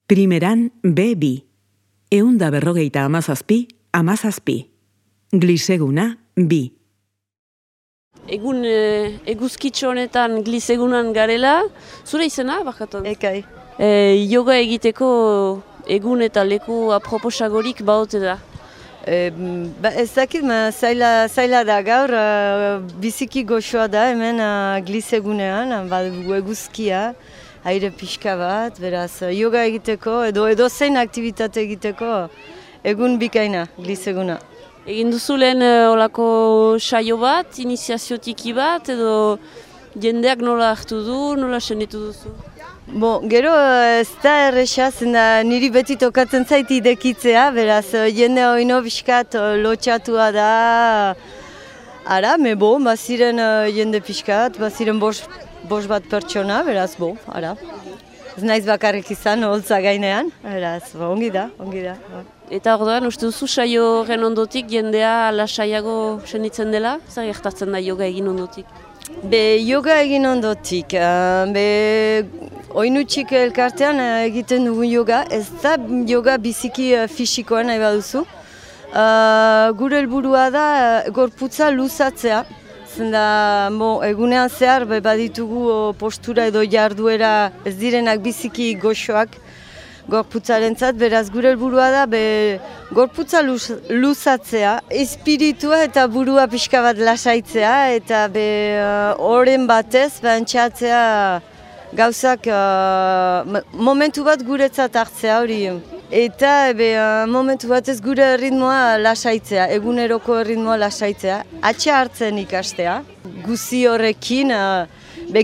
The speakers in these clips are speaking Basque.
Primeran B2. 157, 17. Gliseguna, 2. Egun eguzkitxo honetan glisegunan garela, zure izena, bakatan? Ekai. Yoga egiteko egun eta leku aproposagorik baote da? Ez dakit, zaila da gaur, biziki goxoa da hemen glisegunean, badugu eguzkia, aire pixka bat, beraz yoga egiteko edo zein aktivitate egiteko egun bikaina gliseguna. Egin duzu lehen olako saio bat, iniziaziotiki bat, edo jendeak nola hartu du, nola senditu duzu? Gero ez da erresa, zenda niri beti tokatzen zait idekitzea, beraz jende oino pixkat lotxatua da. Ara, baziren jende pixkat, baziren bost bat pertsona, beraz, ara. Ez naiz bakarrik izan, holtza gainean, beraz, ongi da. Eta orduan, uste duzu saio horren ondotik jendea lasaiago senditzen dela? Zer gertatzen da yoga egin ondotik? Yoga egin ondotik, oinutxik elkartean egiten dugun yoga, ez da yoga biziki fisikoan nahi baduzu. Gure helburua da gorputza luzatzea. Zenda, egunean zehar baditugu postura edo jarduera ez direnak biziki goxoak gorputzarentzat, beraz gure helburua da gorputza luzatzea, espiritua eta burua pixka bat lasaitzea eta horren batez entxatzea gauzak momentu bat guretzat hartzea hori. Eta momentu batez gure ritmoa lasaitzea, eguneroko ritmoa lasaitzea, atxa hartzen ikastea. Guzi horrekin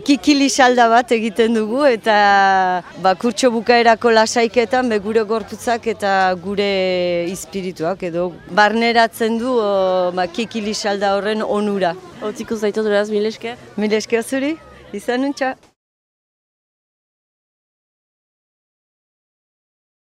kikili salda bat egiten dugu eta kurtso bukaerako lasaiketan gure gorputzak eta gure espirituak edo barneratzen du kikili salda horren onura. Hotziko zaitu duraz, mil esker? Mil esker zuri, izan nuntza.